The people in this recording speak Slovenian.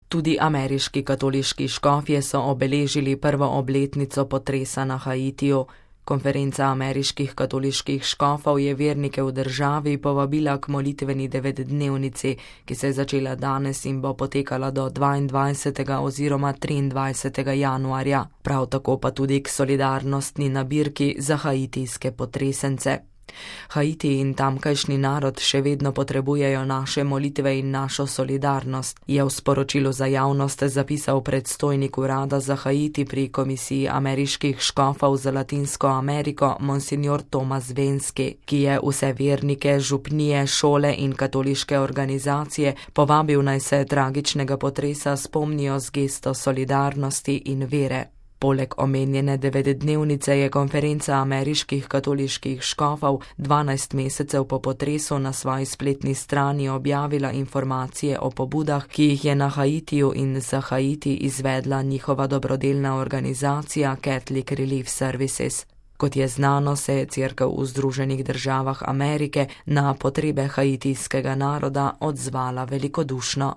Tudi ameriški katoliški škofje so obeležili prvo obletnico potresa na Haitiju. Konferenca ameriških katoliških škofov je vernike v državi povabila k molitveni 9-dnevnici, ki se je začela danes in bo potekala do 22. oziroma 23. januarja. Prav tako pa tudi k solidarnostni nabirki za haitijske potresence. Haiti in tamkajšnji narod še vedno potrebujejo naše molitve in našo solidarnost, je v sporočilu za javnost zapisal predstojnik urada za Haiti pri Komisiji ameriških škofov za Latinsko Ameriko monsignor Thomas Venski, ki je vse vernike, župnije, šole in katoliške organizacije povabil, naj se tragičnega potresa spomnijo z gesto solidarnosti in vere. Poleg omenjene 9-dnevnice je konferenca ameriških katoliških škofov 12 mesecev po potresu na svoji spletni strani objavila informacije o pobudah, ki jih je na Haitiju in za Haiti izvedla njihova dobrodelna organizacija Catholic Relief Services. Kot je znano, se je Cerkev v Združenih državah Amerike na potrebe haitijskega naroda odzvala velikodušno.